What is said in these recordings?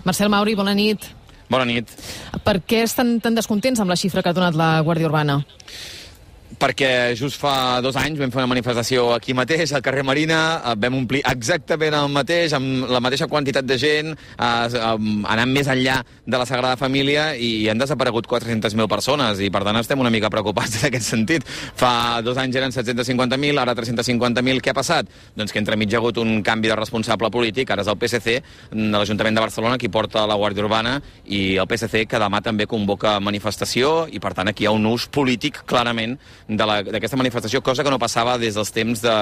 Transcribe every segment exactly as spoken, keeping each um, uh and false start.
Marcel Mauri, bona nit. Bona nit. Per què estan tan descontents amb la xifra que ha donat la Guàrdia Urbana? Perquè just fa dos anys vam fer una manifestació aquí mateix, al carrer Marina, vam omplir exactament el mateix, amb la mateixa quantitat de gent, anant més enllà de la Sagrada Família, i han desaparegut quatre-centes mil persones, i per tant estem una mica preocupats en aquest sentit. Fa dos anys eren set-cents cinquanta mil, ara tres-cents cinquanta mil. Què ha passat? Doncs que entremig hi ha hagut un canvi de responsable polític, ara és el P S C de l'Ajuntament de Barcelona qui porta la Guàrdia Urbana, i el P S C que demà també convoca manifestació, i per tant aquí hi ha un ús polític clarament d'aquesta manifestació, cosa que no passava des dels temps de,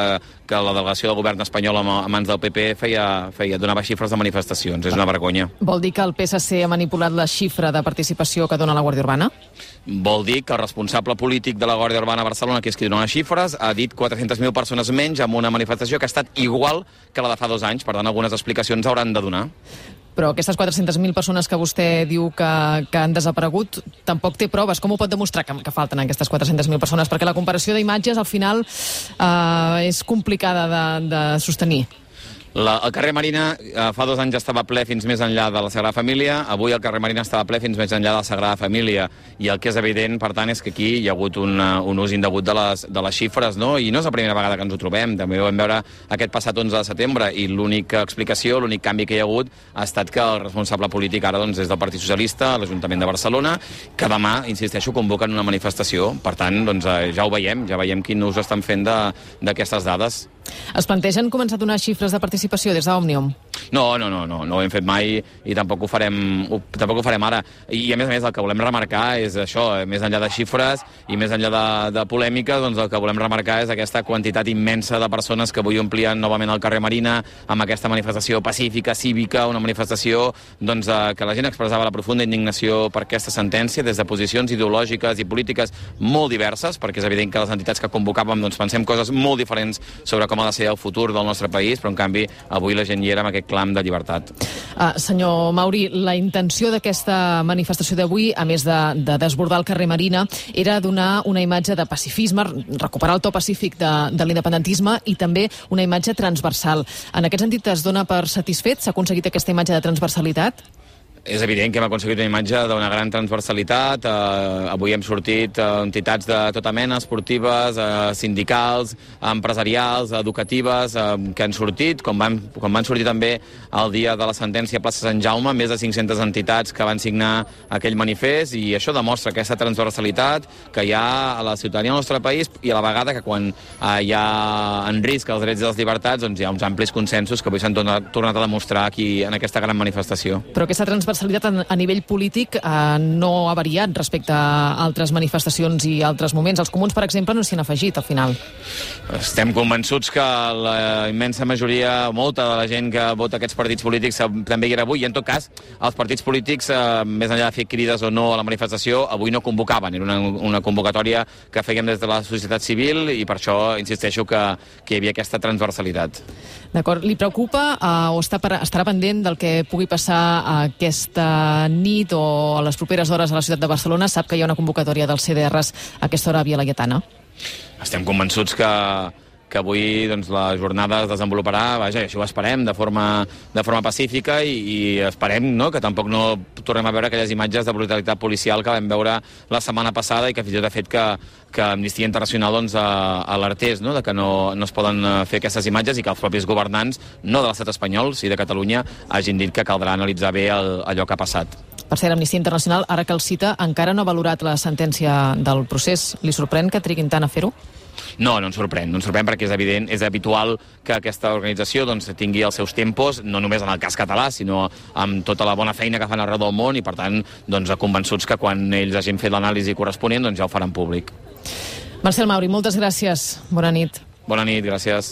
que la delegació del govern espanyol a mans del P P feia, feia donava xifres de manifestacions. És una vergonya. Vol dir que el P S C ha manipulat la xifra de participació que dona la Guàrdia Urbana? Vol dir que el responsable polític de la Guàrdia Urbana a Barcelona, que és qui dona les xifres, ha dit quatre-centes mil persones menys amb una manifestació que ha estat igual que la de fa dos anys. Per tant, algunes explicacions hauran de donar. Però aquestes quatre-centes mil persones que vostè diu que, que han desaparegut tampoc té proves. Com ho pot demostrar que, que falten aquestes quatre-centes mil persones? Perquè la comparació d'imatges al final eh, és complicada de, de sostenir. La, el carrer Marina eh, fa dos anys estava ple fins més enllà de la Sagrada Família, avui el carrer Marina estava ple fins més enllà de la Sagrada Família, i el que és evident, per tant, és que aquí hi ha hagut un, un ús indegut de les, de les xifres, no? I no és la primera vegada que ens ho trobem, també ho vam veure aquest passat onze de setembre, i l'única explicació, l'únic canvi que hi ha hagut ha estat que el responsable polític ara doncs, és del Partit Socialista, l'Ajuntament de Barcelona, que demà, insisteixo, convoquen una manifestació. Per tant, doncs, ja ho veiem, ja veiem quin ús estan fent d'aquestes dades. Es plantegen començar a donar xifres de participació des d'Òmnium? No, no, no, no, no ho hem fet mai i tampoc ho farem, ho, tampoc ho farem ara. I a més a més el que volem remarcar és això, més enllà de xifres i més enllà de, de polèmica, doncs el que volem remarcar és aquesta quantitat immensa de persones que avui omplien novament el carrer Marina amb aquesta manifestació pacífica, cívica, una manifestació doncs, que la gent expressava la profunda indignació per aquesta sentència des de posicions ideològiques i polítiques molt diverses, perquè és evident que les entitats que convocàvem doncs, pensem coses molt diferents sobre com ha de ser el futur del nostre país, però en canvi avui la gent hi era amb aquest clam de llibertat. Uh, senyor Mauri, la intenció d'aquesta manifestació d'avui, a més de, de desbordar el carrer Marina, era donar una imatge de pacifisme, recuperar el to pacífic de, de l'independentisme i també una imatge transversal. En aquest sentit es dona per satisfet? S'ha aconseguit aquesta imatge de transversalitat? És evident que hem aconseguit una imatge d'una gran transversalitat. Eh, avui hem sortit eh, entitats de tota mena, esportives, eh, sindicals, empresarials, educatives, eh, que han sortit, com van, com van sortir també el dia de la sentència a plaça Sant Jaume, més de cinc-centes entitats que van signar aquell manifest, i això demostra aquesta transversalitat que hi ha a la ciutadania del nostre país, i a la vegada que quan eh, hi ha en risc els drets i les llibertats, doncs hi ha uns amplis consensos que avui s'han tornat, tornat a demostrar aquí en aquesta gran manifestació. Però aquesta transversalitat a nivell polític eh, no ha variat respecte a altres manifestacions i altres moments. Els comuns, per exemple, no s'hi han afegit al final. Estem convençuts que la immensa majoria, molta de la gent que vota aquests partits polítics també hi era avui, i en tot cas els partits polítics, eh, més enllà de fer crides o no a la manifestació, avui no convocaven. Era una, una convocatòria que fèiem des de la societat civil, i per això insisteixo que, que hi havia aquesta transversalitat. D'acord. Li preocupa eh, o està per, estarà pendent del que pugui passar aquesta nit o a les properes hores a la ciutat de Barcelona? Sap que hi ha una convocatòria dels C D Rs a aquesta hora a Via Laietana? Estem convençuts que, que avui doncs, la jornada es desenvoluparà, vaja, això ho esperem, de forma, de forma pacífica, i, i esperem no, que tampoc no tornem a veure aquelles imatges de brutalitat policial que vam veure la setmana passada, i que fins i tot ha fet que, que Amnistia Internacional doncs, alertés no, de que no, no es poden fer aquestes imatges, i que els propis governants, no de l'estat espanyol, sí de Catalunya, hagin dit que caldrà analitzar bé el, allò que ha passat. Per cert, Amnistia Internacional, ara que el cita, encara no ha valorat la sentència del procés. Li sorprèn que triguin tant a fer-ho? No, no ens sorprèn, no ens sorprèn perquè és evident, és habitual que aquesta organització doncs, tingui els seus tempos, no només en el cas català, sinó amb tota la bona feina que fan arreu del món, i per tant doncs, convençuts que quan ells hagin fet l'anàlisi corresponent doncs, ja ho faran públic. Marcel Mauri, moltes gràcies. Bona nit. Bona nit, gràcies.